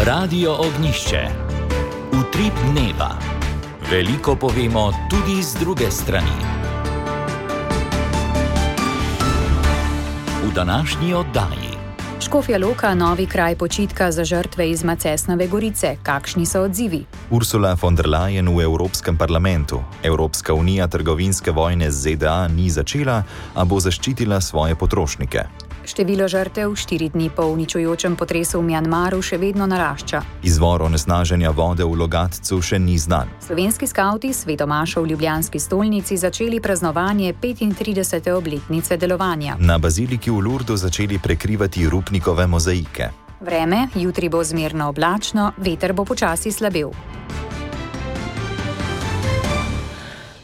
Radio Ognjišče. Utrip dneva. Veliko povemo tudi z druge strani. V današnji oddaji. Škofja Loka, novi kraj počitka za žrtve iz Macesnove Gorice. Kakšni so odzivi? Ursula von der Leyen v Evropskem parlamentu. Evropska unija trgovinske vojne z ZDA ni začela, a bo zaščitila svoje potrošnike. Število žrtev 4 dni po uničujočem potresu v Mjanmaru še vedno narašča. Izvor onesnaženja vode v Logatcu še ni znan. Slovenski skavti svetomašo v ljubljanski stolnici začeli praznovanje 35. obletnice delovanja. Na baziliki v Lurdu začeli prekrivati rupnikove mozaike. Vreme, jutri bo zmerno oblačno, veter bo počasi slabel.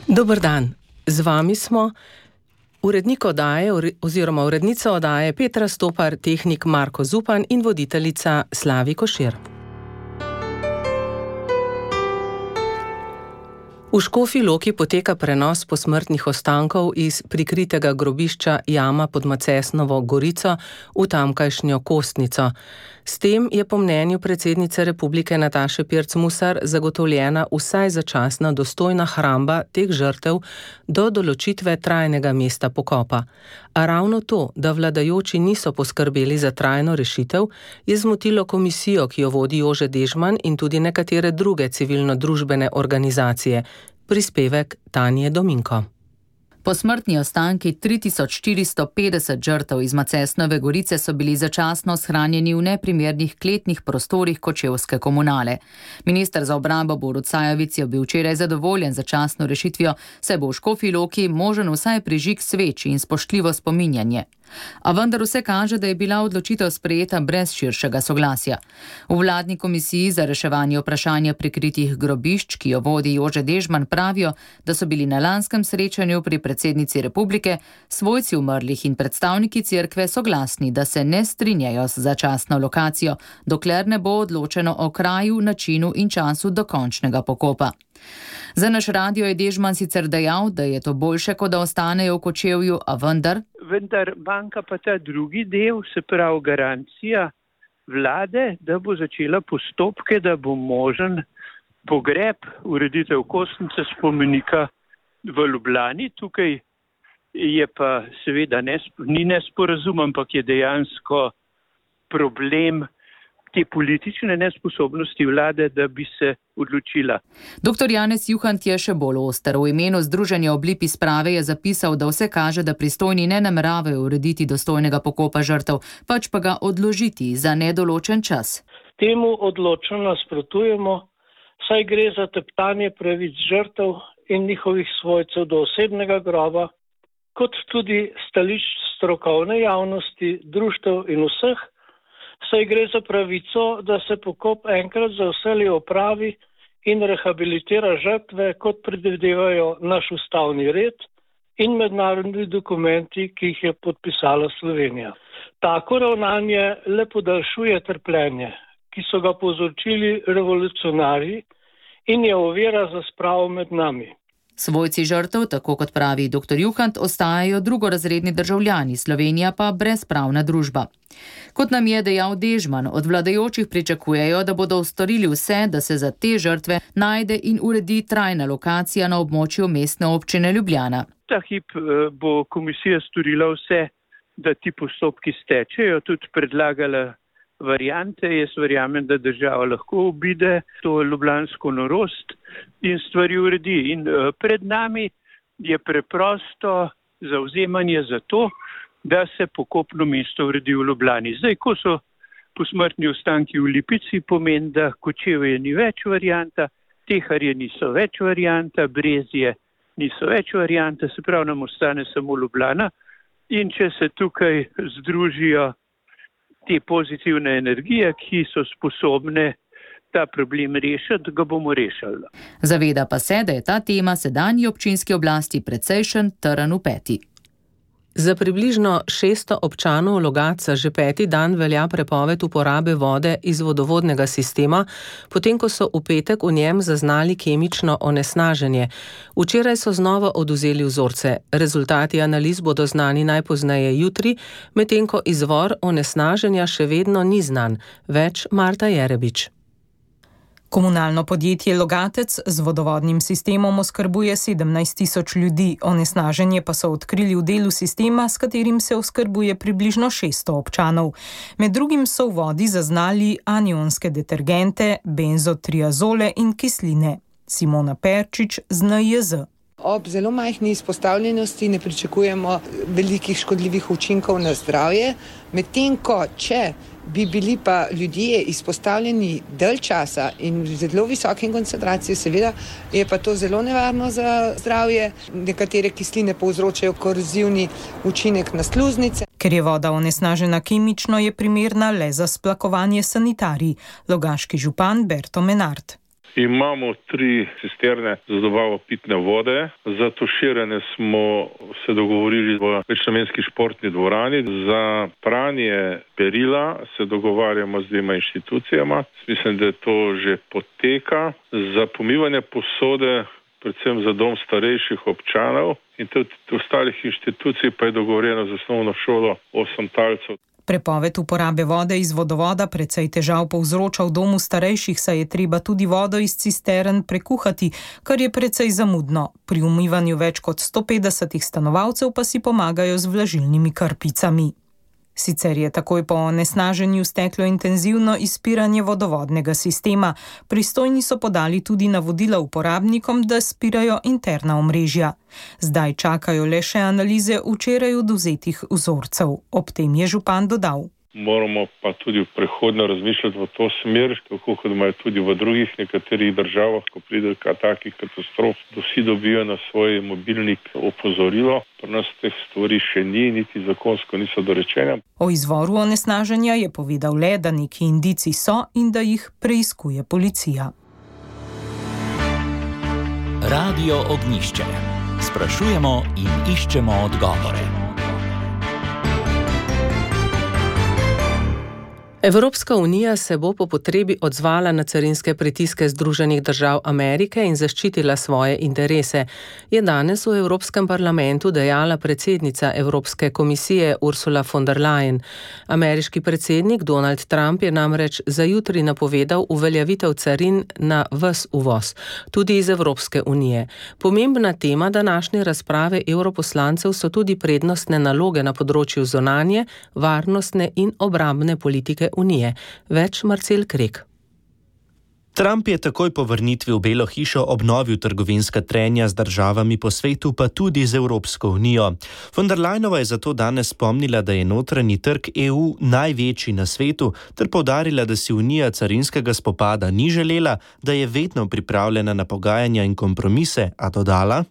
Dober dan, z vami smo urednik oddaje oziroma urednica oddaje Petra Stopar, tehnik Marko Zupan in voditeljica Slavi Košir. V Škofji Loki poteka prenos posmrtnih ostankov iz prikritega grobišča Jama pod Macesnovo Gorico v tamkajšnjo Kostnico. S tem je po mnenju predsednice Republike Nataše Pirc Musar zagotovljena vsaj začasna dostojna hramba teh žrtev do določitve trajnega mesta pokopa. A ravno to, da vladajoči niso poskrbeli za trajno rešitev, je zmotilo komisijo, ki jo vodi Jože Dežman in tudi nekatere druge civilno-družbene organizacije. Prispevek Tanje Dominko. Posmrtni ostanki 3450 žrtev iz Macesnove Gorice so bili začasno shranjeni v neprimernih kletnih prostorih kočevske komunale. Minister za obrambo Borut Sajovic je bil včeraj zadovoljen z začasno rešitvijo, saj bo v Škofji Loki možen vsaj prižig sveč in spoštljivo spominjanje. A vendar vse kaže, da je bila odločitev sprejeta brez širšega soglasja. V vladni komisiji za reševanje vprašanja prikritih grobišč, ki jo vodi Jože Dežman, pravijo, da so bili na lanskem srečanju pri predsednici Republike svojci umrlih in predstavniki cerkve soglasni, da se ne strinjajo z začasno lokacijo, dokler ne bo odločeno o kraju, načinu in času dokončnega pokopa. Za naš radio je Dežman sicer dejal, da je to boljše, kot da ostanejo v Kočevju, a vendar manjka pa ta drugi del, se pravi garancija vlade, da bo začela postopke, da bo možen pogreb, ureditev Kostnice spomenika v Ljubljani. Tukaj je pa seveda ni nesporazum, ampak je dejansko problem te politične nesposobnosti vlade, da bi se odločila. Dr. Janez Juhant je še bolj oster. V imenu Združenja Oblipi sprave je zapisal, da vse kaže, da pristojni ne nameravajo urediti dostojnega pokopa žrtev, pač pa ga odložiti za nedoločen čas. Temu odločno nasprotujemo, saj gre za teptanje pravic žrtev in njihovih svojcev do osebnega groba, kot tudi stališč strokovne javnosti, društev in vseh, saj gre za pravico, da se pokop enkrat za vselej opravi in rehabilitira žrtve, kot predvidevajo naš ustavni red in mednarodni dokumenti, ki jih je podpisala Slovenija. Tako ravnanje le podaljšuje trpljenje, ki so ga povzročili revolucionarji, in je ovira za spravo med nami. Svojci žrtev, tako kot pravi dr. Juhant, ostajajo drugorazredni državljani, Slovenija pa brezpravna družba. Kot nam je dejal Dežman, od vladajočih pričakujejo, da bodo storili vse, da se za te žrtve najde in uredi trajna lokacija na območju mestne občine Ljubljana. Ta hip bo komisija storila vse, da ti postopki stečejo, tudi predlagala variante. Jaz verjamem, da država lahko obide to ljubljansko norost in stvari uredi. In pred nami je preprosto zavzemanje za to, da se pokopno mesto uredi v Ljubljani. Zdaj, ko so posmrtni ostanki v Lipici, pomeni, da Kočevje ni več varianta, Teharje niso več varianta, Brezje niso več varianta, se pravi, nam ostane samo Ljubljana. In če se tukaj združijo te pozitivne energije, ki so sposobne ta problem rešiti, ga bomo rešili. Zaveda pa se, da je ta tema sedanji občinski oblasti precejšen trn v peti. Za približno 600 občanov Logatca že 5. dan velja prepoved uporabe vode iz vodovodnega sistema, potem ko so v petek v njem zaznali kemično onesnaženje. Včeraj so znova odvzeli vzorce. Rezultati analiz bodo znani najpozneje jutri, medtem ko izvor onesnaženja še vedno ni znan. Več Marta Jerebič. Komunalno podjetje Logatec z vodovodnim sistemom oskrbuje 17.000 ljudi, onesnaženje pa so odkrili v delu sistema, s katerim se oskrbuje približno 600 občanov. Med drugim so v vodi zaznali anionske detergente, benzotriazole in kisline. Simona Perčič z NIJZ. Ob zelo majhni izpostavljenosti ne pričakujemo velikih škodljivih učinkov na zdravje, medtem ko če bi bili pa ljudje izpostavljeni dalj časa in v zelo visoki koncentraciji, seveda je pa to zelo nevarno za zdravje. Nekatere kisline povzročajo korozivni učinek na sluznice. Ker je voda onesnažena kemično, je primerna le za splakovanje sanitarij. Logaški župan Berto Menard. Imamo 3 cisterne za dobavo pitne vode. Za tuširanje smo se dogovorili v večnamenski športni dvorani. Za pranje perila se dogovarjamo z 2 inštitucijama. Mislim, da to že poteka. Za pomivanje posode, predvsem za dom starejših občanov in tudi ostalih inštitucij pa je dogovorjeno z osnovno šolo 8 talcev. Prepoved uporabe vode iz vodovoda precej težav povzroča v domu starejših, saj je treba tudi vodo iz cistern prekuhati, kar je precej zamudno. Pri umivanju več kot 150 stanovalcev pa si pomagajo z vlažilnimi krpicami. Sicer je takoj po onesnaženju steklo intenzivno izpiranje vodovodnega sistema. Pristojni so podali tudi navodila uporabnikom, da spirajo interna omrežja. Zdaj čakajo le še analize včeraj odvzetih vzorcev. Ob tem je župan dodal. Moramo pa tudi v prihodnje razmišljati v to smer, tako kot imajo tudi v drugih nekaterih državah, ko pride do takih katastrof, da vsi dobijo na svoj mobilnik opozorilo. Pri nas teh stvari še ni, niti zakonsko niso dorečene. O izvoru onesnaženja je povedal le, da neki indici so in da jih preiskuje policija. Radio Ognjišče. Sprašujemo in iščemo odgovore. Evropska unija se bo po potrebi odzvala na carinske pritiske Združenih držav Amerike in zaščitila svoje interese, je danes v Evropskem parlamentu dejala predsednica Evropske komisije Ursula von der Leyen. Ameriški predsednik Donald Trump je namreč za jutri napovedal uveljavitev carin na ves uvoz, tudi iz Evropske unije. Pomembna tema današnje razprave evroposlancev so tudi prednostne naloge na področju zunanje, varnostne in obrambne politike unije. Več Marcel Krek. Trump je takoj po vrnitvi v Belo hišo obnovil trgovinska trenja z državami po svetu, pa tudi z Evropsko unijo. Von der Leyenova je zato danes spomnila, da je notranji trg EU največji na svetu, ter poudarila, da si unija carinskega spopada ni želela, da je vedno pripravljena na pogajanja in kompromise, a dodala: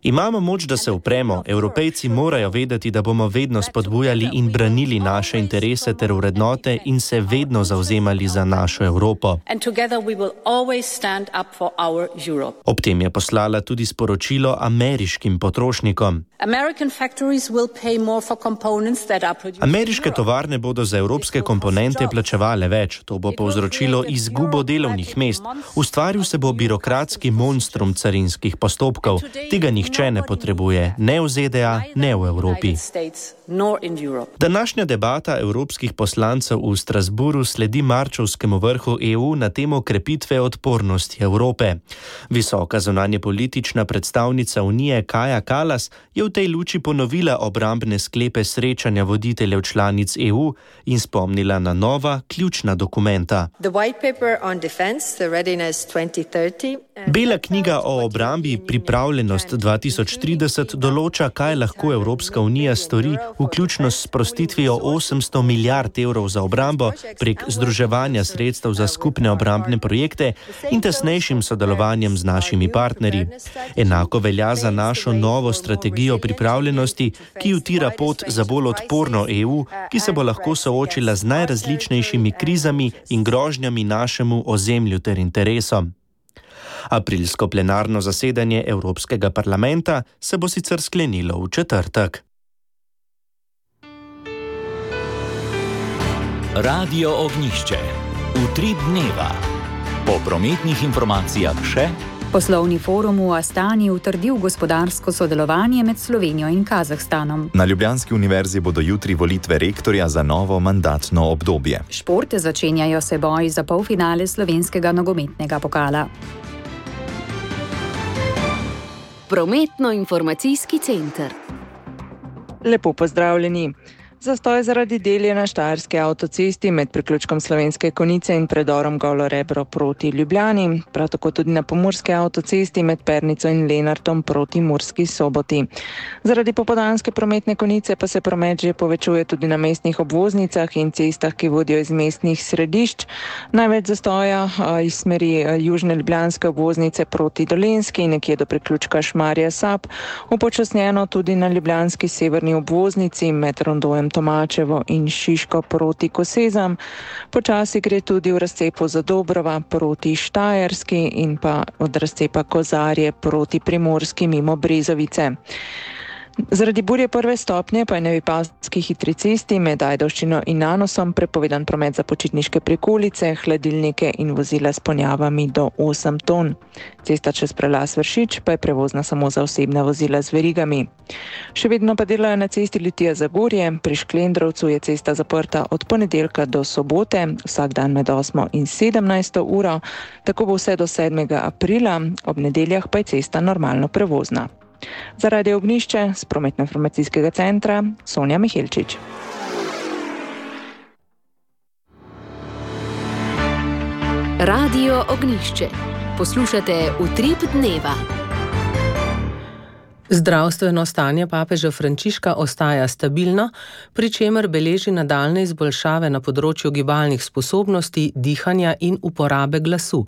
Imamo moč, da se upremo. Evropejci morajo vedeti, da bomo vedno spodbujali in branili naše interese ter vrednote in se vedno zavzemali za našo Evropo. Ob tem je poslala tudi sporočilo ameriškim potrošnikom. Ameriške tovarne bodo za evropske komponente plačevale več. To bo povzročilo izgubo delovnih mest. Ustvaril se bo birokratski monstrum carinskih postopkov. Tega nihče ne potrebuje, ne v ZDA, ne v Evropi. Današnja debata evropskih poslancev v Strasburu sledi marčevskemu vrhu EU na temo krepitve odpornosti Evrope. Visoka zunanjepolitična predstavnica Unije Kaja Kallas je v tej luči ponovila obrambne sklepe srečanja voditeljev članic EU in spomnila na nova ključna dokumenta. Bela knjiga o obrambi Pripravljenost 2030 določa, kaj lahko Evropska unija stori, vključno s sprostitvijo 800 milijard evrov za obrambo prek združevanja sredstev za skupne obrambne projekte in tesnejšim sodelovanjem z našimi partnerji. Enako velja za našo novo strategijo pripravljenosti, ki utira pot za bolj odporno EU, ki se bo lahko soočila z najrazličnejšimi krizami in grožnjami našemu ozemlju ter interesom. Aprilsko plenarno zasedanje Evropskega parlamenta se bo sicer sklenilo v četrtek. Radio Ognjišče. Utrip dneva. Po prometnih informacijah še. Poslovni forum v Astani utrdil gospodarsko sodelovanje med Slovenijo in Kazahstanom. Na Ljubljanski univerzi bodo jutri volitve rektorja za novo mandatno obdobje. Športe začenjajo se boji za polfinale slovenskega nogometnega pokala. Prometno-informacijski center. Lepo pozdravljeni. Zastoj zaradi del je na Štajerski avtocesti med priključkom Slovenske Konjice in predorom Golo Rebro proti Ljubljani, prav tako tudi na Pomurski avtocesti med Pernico in Lenartom proti Murski Soboti. Zaradi popoldanske prometne konice pa se promet že povečuje tudi na mestnih obvoznicah in cestah, ki vodijo iz mestnih središč. Največ zastoja iz smeri južne ljubljanske obvoznice proti Dolenjski, nekje do priključka Šmarje Sap, upočasnjeno tudi na ljubljanski severni obvoznici med Rondojem Tomačevo in Šiško proti Kosezam. Počasi gre tudi v razcepu Zadobrova proti Štajerski in pa od razcepa Kozarje proti Primorski mimo Brezovice. Zaradi burje prve stopnje pa je na Vipavski hitri cesti med Ajdovščino in Nanosom prepovedan promet za počitniške prikolice, hladilnike in vozila s ponjavami do 8 ton. Cesta čez prelaz Vršič pa je prevozna samo za osebna vozila z verigami. Še vedno pa delajo na cesti Litija-Zagorje, pri Šklendrovcu je cesta zaprta od ponedeljka do sobote, vsak dan med 8 in 17 uro, tako bo vse do 7. aprila, ob nedeljah pa je cesta normalno prevozna. Za Radio Ognjišče z prometno-informacijskega centra Sonja Mihelčič. Radio Ognjišče. Poslušate Utrip dneva. Zdravstveno stanje papeža Frančiška ostaja stabilno, pri čemer beleži nadaljnje izboljšave na področju gibalnih sposobnosti, dihanja in uporabe glasu.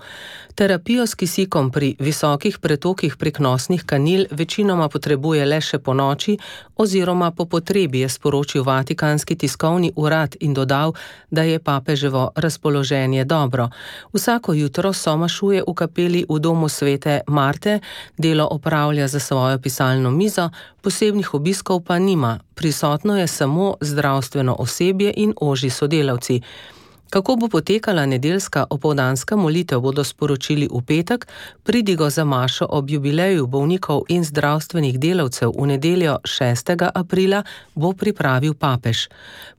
Terapijo s kisikom pri visokih pretokih prek nosnih kanil večinoma potrebuje le še ponoči oziroma po potrebi, je sporočil Vatikanski tiskovni urad in dodal, da je papeževo razpoloženje dobro. Vsako jutro somašuje v kapeli v domu svete Marte, delo opravlja za svojo pisalno mizo, posebnih obiskov pa nima, prisotno je samo zdravstveno osebje in ožji sodelavci. Kako bo potekala nedeljska opoldanska molitev, bodo sporočili v petek, pridigo za mašo ob jubileju bolnikov in zdravstvenih delavcev v nedeljo 6. aprila bo pripravil papež.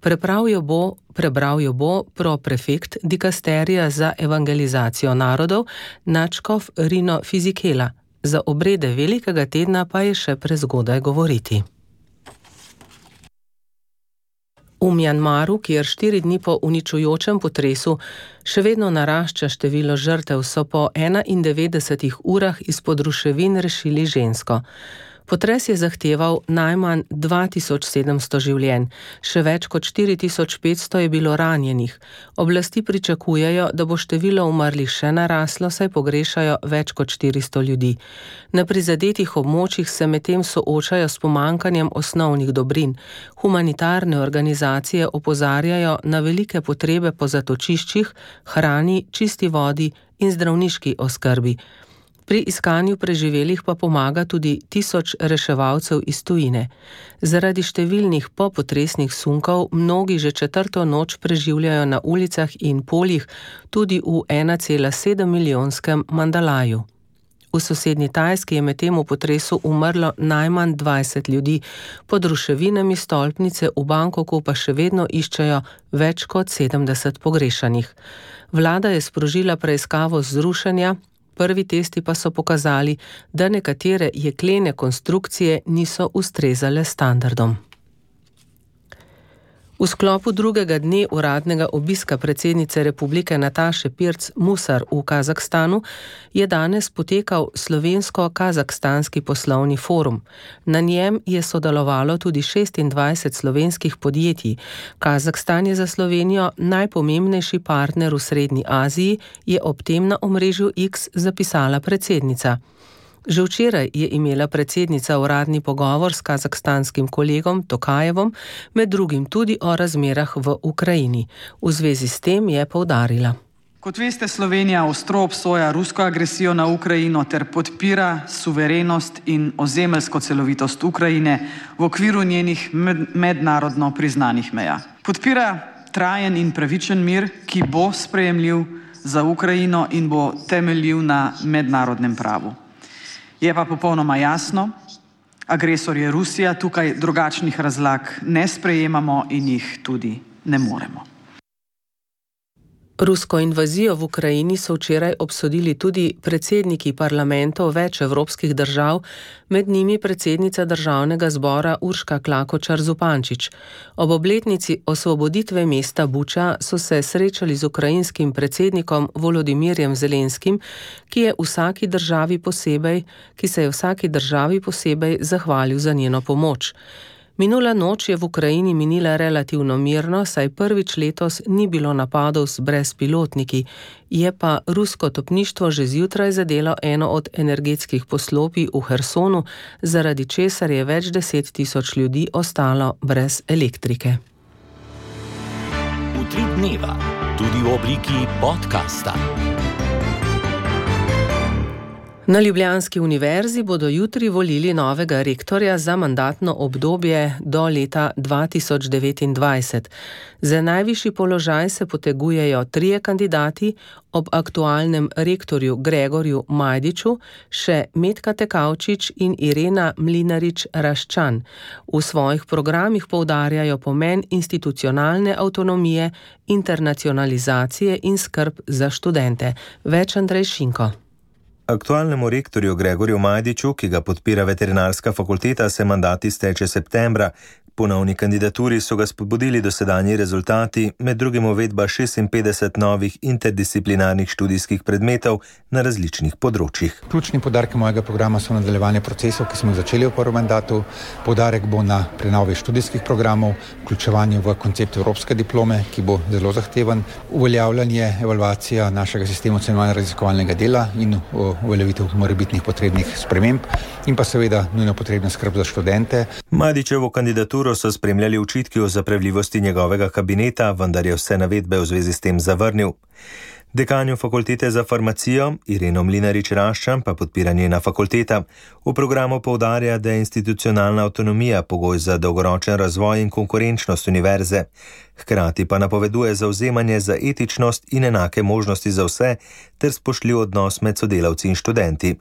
Prebral jo bo proprefekt dikasterija za evangelizacijo narodov, nadškof Rino Fizikela. Za obrede velikega tedna pa je še prezgodaj govoriti. V Mjanmaru, kjer 4 dni po uničujočem potresu še vedno narašča število žrtev, so po 91 urah izpod ruševin rešili žensko. Potres je zahteval najmanj 2700 življenj, še več kot 4500 je bilo ranjenih. Oblasti pričakujejo, da bo število umrlih še naraslo, saj pogrešajo več kot 400 ljudi. Na prizadetih območjih se medtem soočajo s pomanjkanjem osnovnih dobrin. Humanitarne organizacije opozarjajo na velike potrebe po zatočiščih, hrani, čisti vodi in zdravniški oskrbi. Pri iskanju preživelih pa pomaga tudi 1000 reševalcev iz tujine. Zaradi številnih popotresnih sunkov mnogi že 4. noč preživljajo na ulicah in poljih, tudi v 1,7 milijonskem Mandalaju. V sosednji Tajski je medtem v potresu umrlo najmanj 20 ljudi, pod ruševinami stolpnice v Bangkoku pa še vedno iščejo več kot 70 pogrešanih. Vlada je sprožila preiskavo zrušenja. Prvi testi pa so pokazali, da nekatere jeklene konstrukcije niso ustrezale standardom. V sklopu drugega dne uradnega obiska predsednice republike Nataše Pirc Musar v Kazahstanu je danes potekal slovensko-kazahstanski poslovni forum. Na njem je sodelovalo tudi 26 slovenskih podjetij. Kazahstan je za Slovenijo najpomembnejši partner v Srednji Aziji, je ob tem na omrežju X zapisala predsednica. Že včeraj je imela predsednica uradni pogovor s kazahstanskim kolegom Tokajevom, med drugim tudi o razmerah v Ukrajini. V zvezi s tem je poudarila. Kot veste, Slovenija ostro obsoja rusko agresijo na Ukrajino ter podpira suverenost in ozemeljsko celovitost Ukrajine v okviru njenih mednarodno priznanih meja. Podpira trajen in pravičen mir, ki bo sprejemljiv za Ukrajino in bo temeljil na mednarodnem pravu. Je pa popolnoma jasno, agresor je Rusija, tukaj drugačnih razlag ne sprejemamo in jih tudi ne moremo. Rusko invazijo v Ukrajini so včeraj obsodili tudi predsedniki parlamentov več evropskih držav, med njimi predsednica državnega zbora Urška Klakočar Zupančič. Ob obletnici osvoboditve mesta Buča so se srečali z ukrajinskim predsednikom Volodimirjem Zelenskim, ki se je vsaki državi posebej zahvalil za njeno pomoč. Minula noč je v Ukrajini minila relativno mirno, saj prvič letos ni bilo napadov z brezpilotniki, je pa rusko topništvo že zjutraj zadelo eno od energetskih poslopij v Hersonu, zaradi česar je več 10 000 ljudi ostalo brez elektrike. Utrip dneva, tudi v obliki podcasta. Na Ljubljanski univerzi bodo jutri volili novega rektorja za mandatno obdobje do leta 2029. Za najvišji položaj se potegujejo 3 kandidati, ob aktualnem rektorju Gregorju Majdiču še Metka Tekavčič in Irena Mlinarič-Raščan. V svojih programih poudarjajo pomen institucionalne avtonomije, internacionalizacije in skrb za študente. Več Andrej Šinko. Aktualnemu rektorju Gregorju Majdiču, ki ga podpira veterinarska fakulteta, se mandat izteče septembra. Ponovni kandidaturi so ga spodbudili dosedanji rezultati, med drugim uvedba 56 novih interdisciplinarnih študijskih predmetov na različnih področjih. Ključni poudarki mojega programa so nadaljevanje procesov, ki smo jih začeli v prvem mandatu. Poudarek bo na prenovi študijskih programov, vključevanju v koncept evropske diplome, ki bo zelo zahteven, uveljavljanje, evalvacija našega sistema ocenjevanja raziskovalnega dela in uveljavitev morebitnih potrebnih sprememb in pa seveda nujno potrebna skrb za študente. Majdičevo kandidaturo so spremljali očitki o zapravljivosti njegovega kabineta, vendar je vse navedbe v zvezi s tem zavrnil. Dekanjo fakultete za farmacijo Ireno Mlinarič-Raščan pa podpira njena fakulteta. V programu poudarja, da je institucionalna avtonomija pogoj za dolgoročen razvoj in konkurenčnost univerze. Hkrati pa napoveduje zavzemanje za etičnost in enake možnosti za vse ter spoštljiv odnos med sodelavci in študenti.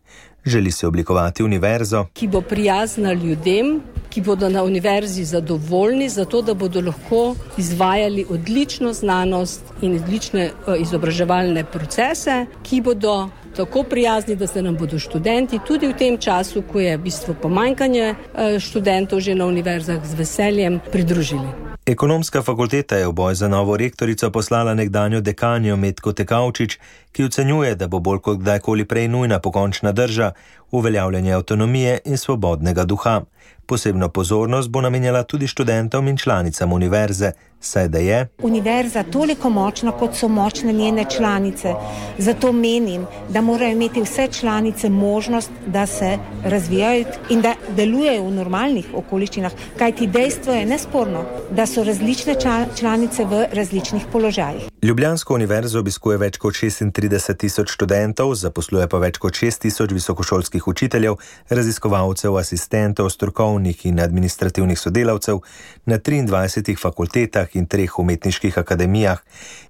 Želi se oblikovati univerzo, ki bo prijazna ljudem, ki bodo na univerzi zadovoljni, zato da bodo lahko izvajali odlično znanost in odlične izobraževalne procese, ki bodo tako prijazni, da se nam bodo študenti tudi v tem času, ko je v bistvu pomanjkanje študentov že na univerzah, z veseljem pridružili. Ekonomska fakulteta je v boj za novo rektorico poslala nekdanjo dekanjo Metko Tekavčič, ki ocenjuje, da bo bolj kot kdajkoli prej nujna pokončna drža, uveljavljanje avtonomije in svobodnega duha. Posebno pozornost bo namenjala tudi študentom in članicam univerze, saj da je univerza toliko močna, kot so močne njene članice. Zato menim, da morajo imeti vse članice možnost, da se razvijajo in da delujejo v normalnih okoliščinah, kajti dejstvo je nesporno, da so različne članice v različnih položajih. Ljubljansko univerzo obiskuje več kot 36 000 študentov, zaposluje pa več kot 6 000 visokošolskih učiteljev, raziskovalcev, asistentov, strokovnih in administrativnih sodelavcev na 23 fakultetah in 3 umetniških akademijah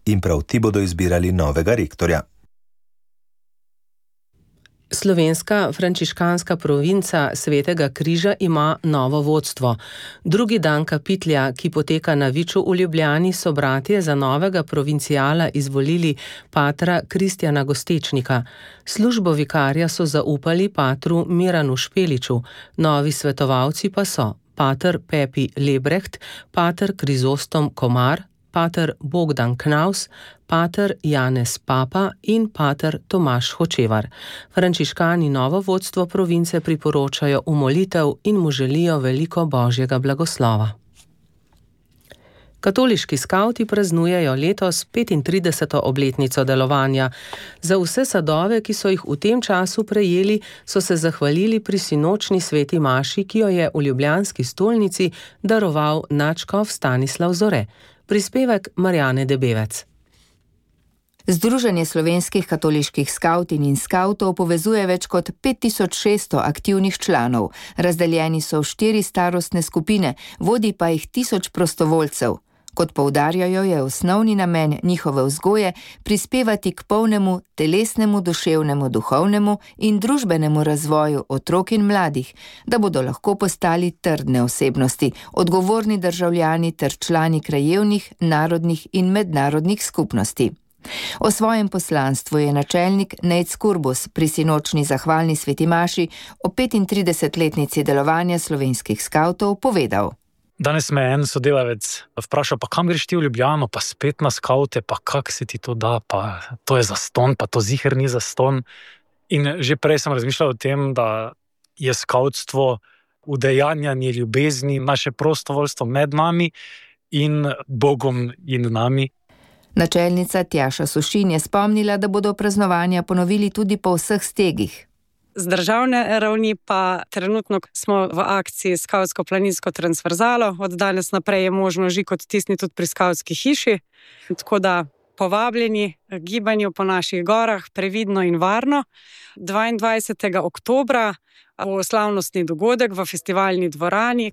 in prav ti bodo izbirali novega rektorja. Slovenska frančiškanska provinca Svetega križa ima novo vodstvo. Drugi dan kapitlja, ki poteka na Viču v Ljubljani, so bratje za novega provincijala izvolili patra Kristjana Gostečnika. Službo vikarja so zaupali patru Miranu Špeliču, novi svetovalci pa so pater Pepi Lebrecht, pater Krizostom Komar, pater Bogdan Knaus, pater Janez Papa in pater Tomaž Hočevar. Frančiškani novo vodstvo province priporočajo v molitev in mu želijo veliko božjega blagoslova. Katoliški skavti praznujejo letos 35. obletnico delovanja. Za vse sadove, ki so jih v tem času prejeli, so se zahvalili pri sinočni sveti maši, ki jo je v ljubljanski stolnici daroval nadškof Stanislav Zore. Prispevek Marjane Debevec. Združenje slovenskih katoliških skavtin in skavtov povezuje več kot 5600 aktivnih članov. Razdeljeni so v 4 starostne skupine, vodi pa jih 1000 prostovoljcev. Kot poudarjajo, je osnovni namen njihove vzgoje prispevati k polnemu telesnemu, duševnemu, duhovnemu in družbenemu razvoju otrok in mladih, da bodo lahko postali trdne osebnosti, odgovorni državljani ter člani krajevnih, narodnih in mednarodnih skupnosti. O svojem poslanstvu je načelnik Nejc Kurbus pri sinočni zahvalni sveti maši o 35-letnici delovanja slovenskih skavtov povedal. Danes me en sodelavec vprašal, pa kam greš ti v Ljubljano, pa spet na skavte, pa kak se ti to da, pa to je zastonj, pa to ziher ni zastonj. In že prej sem razmišljal o tem, da je skavtstvo udejanjanje ljubezni, naše prostovoljstvo med nami in Bogom in nami. Načelnica Tjaša Sušin je spomnila, da bodo praznovanja ponovili tudi po vseh stegih. Z državne ravni pa trenutno smo v akciji Skavtsko-planinsko transverzalo. Od danes naprej je možno žig odtisniti tudi pri skavtski hiši. Tako da povabljeni k gibanju po naših gorah previdno in varno. 22. oktobra bo slavnostni dogodek v festivalni dvorani.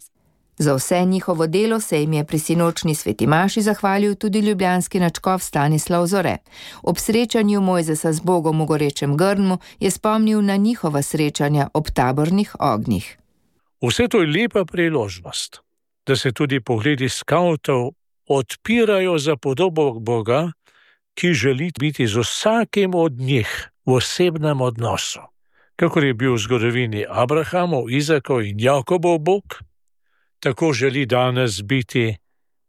Za vse njihovo delo se jim je pri sinočni sveti maši zahvalil tudi ljubljanski nadškof Stanislav Zore. Ob srečanju Mojzesa z Bogom v gorečem grmu je spomnil na njihova srečanja ob tabornih ognjih. Vse to je lepa priložnost, da se tudi pogledi skavtov odpirajo za podobo Boga, ki želi biti z vsakim od njih v osebnem odnosu. Kakor je bil v zgodovini Abrahamov, Izakov in Jakobov Bog, tako želi danes biti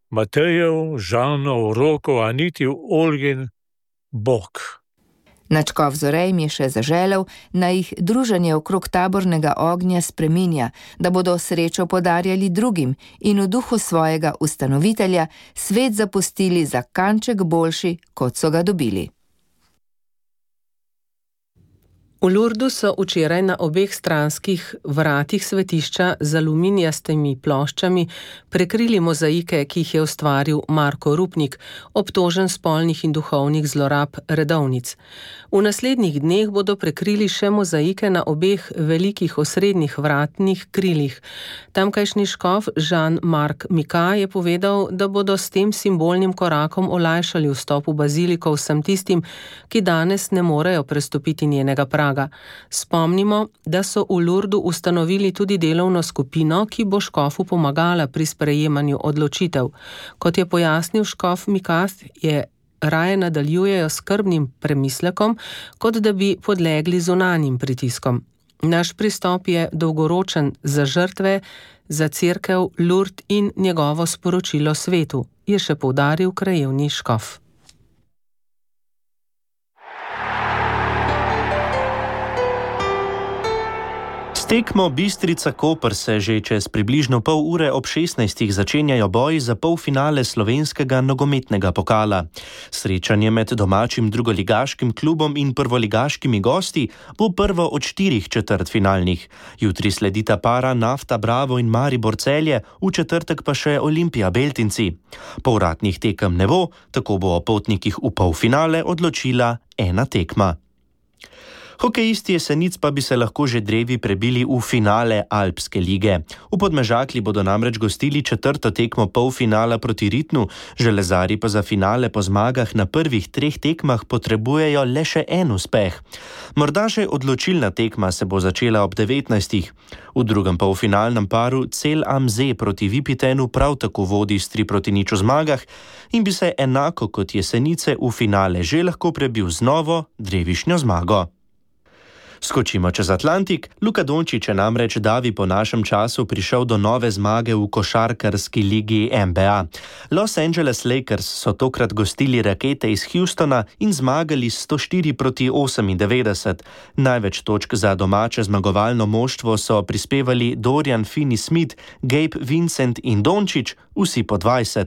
Matejev, Žanov, Rokov, Anitjev, Olgin Bog. Nadškof Zore jim je še zaželel, naj jih druženje okrog tabornega ognja spreminja, da bodo srečo podarjali drugim in v duhu svojega ustanovitelja svet zapustili za kanček boljši, kot so ga dobili. V Lurdu so včeraj na obeh stranskih vratih svetišča z aluminijastimi ploščami prekrili mozaike, ki jih je ustvaril Marko Rupnik, obtožen spolnih in duhovnih zlorab redovnic. V naslednjih dneh bodo prekrili še mozaike na obeh velikih osrednjih vratnih krilih. Tamkajšnji škof Jean-Marc Mika je povedal, da bodo s tem simbolnim korakom olajšali vstop v baziliko vsem tistim, ki danes ne morejo prestopiti njenega praga. Spomnimo, da so v Lurdu ustanovili tudi delovno skupino, ki bo škofu pomagala pri sprejemanju odločitev. Kot je pojasnil škof Mikas, je raje nadaljujejo skrbnim premislekom, kot da bi podlegli zunanjim pritiskom. Naš pristop je dolgoročen za žrtve, za cerkev, Lurd in njegovo sporočilo svetu, je še poudaril krajevni škof. Tekmo Bistrica-Koper se že čez približno pol ure ob 16. začenjajo boji za polfinale slovenskega nogometnega pokala. Srečanje med domačim drugoligaškim klubom in prvoligaškimi gosti bo prvo od 4 četrtfinalnih. Jutri sledita para Nafta Bravo in Maribor Celje, v četrtek pa še Olimpija Beltinci. Povratnih tekem ne bo, tako bo o potnikih v polfinale odločila ena tekma. Hokejisti Jesenic pa bi se lahko že drevi prebili v finale Alpske lige. V Podmežakli bodo namreč gostili 4. tekmo polfinala proti Ritnu, železari pa za finale po zmagah na prvih 3 tekmah potrebujejo le še en uspeh. Morda še odločilna tekma se bo začela ob 19. V drugem polfinalnem paru Cel Amze proti Vipitenu prav tako vodi s 3-0 zmagah in bi se enako kot Jesenice v finale že lahko prebil z novo drevišnjo zmago. Skočimo čez Atlantik. Luka Dončić je namreč davi po našem času prišel do nove zmage v košarkarski ligi NBA. Los Angeles Lakers so tokrat gostili Rakete iz Houstona in zmagali 104-98. Največ točk za domače zmagovalno moštvo so prispevali Dorian Finney-Smith, Gabe Vincent in Dončić, vsi po 20.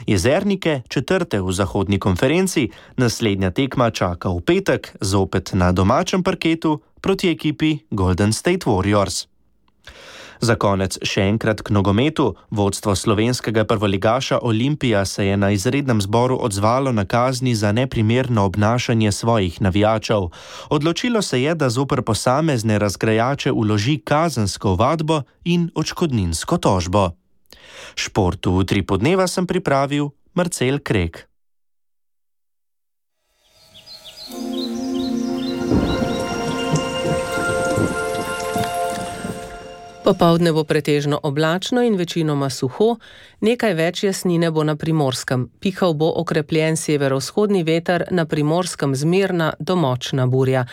Jezernike 4. v zahodni konferenci, naslednja tekma čaka v petek, zopet na domačem parketu, proti ekipi Golden State Warriors. Za konec še enkrat k nogometu. Vodstvo slovenskega prvoligaša Olimpija se je na izrednem zboru odzvalo na kazni za neprimerno obnašanje svojih navijačev. Odločilo se je, da zoper posamezne razgrajače vloži kazensko ovadbo in odškodninsko tožbo. Športu v Utripu dneva sem pripravil Marcel Krek. Popoldne bo pretežno oblačno in večinoma suho, nekaj več jasnine bo na Primorskem. Pihal bo okrepljen severovzhodni veter, na Primorskem zmerna do močna burja.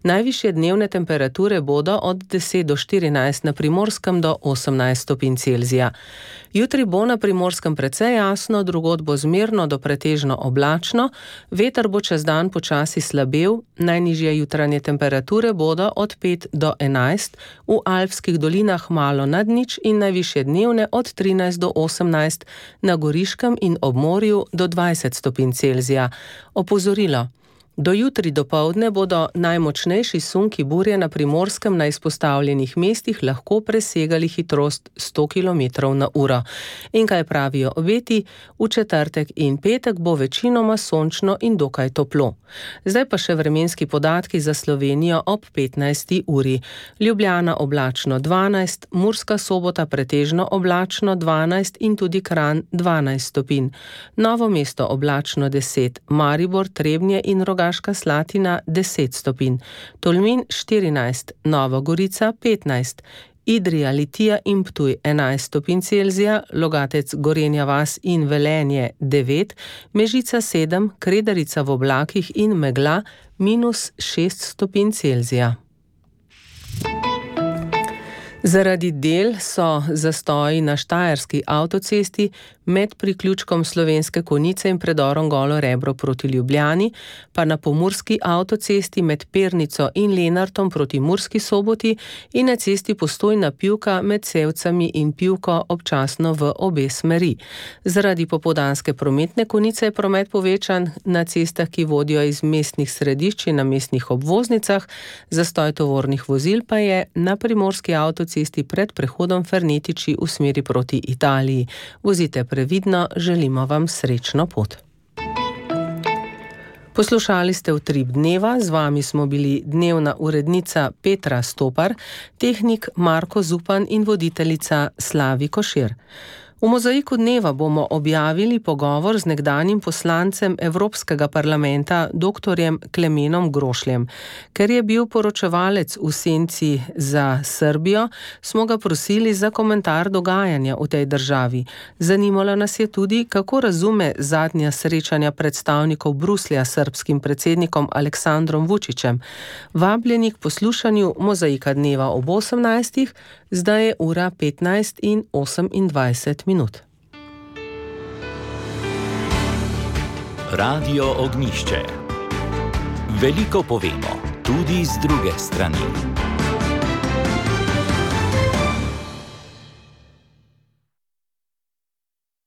Najvišje dnevne temperature bodo od 10 do 14, na Primorskem do 18 stopinj Celzija. Jutri bo na Primorskem precej jasno, drugod bo zmerno do pretežno oblačno, veter bo čez dan počasi slabel, najnižje jutranje temperature bodo od 5 do 11, v alpskih dolinah malo nad nič in najvišje dnevne od 13 do 18, na Goriškem in ob morju do 20 stopinj Celzija. Opozorilo. Do jutri dopoldne bodo najmočnejši sunki burje na Primorskem na izpostavljenih mestih lahko presegali hitrost 100 km/h. In kaj pravijo obeti? V četrtek in petek bo večinoma sončno in dokaj toplo. Zdaj pa še vremenski podatki za Slovenijo ob 15. uri. Ljubljana oblačno 12, Murska Sobota pretežno oblačno 12 in tudi Kranj 12 stopinj. Novo mesto oblačno 10, Maribor, Trebnje in Rogaška Slatina 10 stopinj, Tolmin 14, Nova Gorica 15, Idrija, Litija in Ptuj 11 stopinj Celzija, Logatec, Gorenja vas in Velenje 9, Mežica 7, Kredarica v oblakih in megla -6 stopinj Celzija. Zaradi del so zastoji na štajerski avtocesti med priključkom Slovenske Konjice in predorom Golo Rebro proti Ljubljani, pa na pomurski avtocesti med Pernico in Lenartom proti Murski Soboti in na cesti Postojna Pivka med Sevcami in Pivko občasno v obe smeri. Zaradi popoldanske prometne konice je promet povečan na cestah, ki vodijo iz mestnih središč in na mestnih obvoznicah, zastoj tovornih vozil pa je na primorski avtocesti pred prehodom Fernetiči v smeri proti Italiji. Vozite previdno, želimo vam srečno pot. Poslušali ste Utrip dneva, z vami smo bili dnevna urednica Petra Stopar, tehnik Marko Zupan in voditeljica Slavi Košir. V mozaiku dneva bomo objavili pogovor z nekdanjim poslancem Evropskega parlamenta dr. Klemenom Grošljem. Ker je bil poročevalec v senci za Srbijo, smo ga prosili za komentar dogajanja v tej državi. Zanimalo nas je tudi, kako razume zadnja srečanja predstavnikov Bruslja s srbskim predsednikom Aleksandrom Vučićem. Vabljeni k poslušanju mozaika dneva ob 18. Zdaj je ura 15 in 28 minut. Radio Ognjišče. Veliko povemo, tudi z druge strani.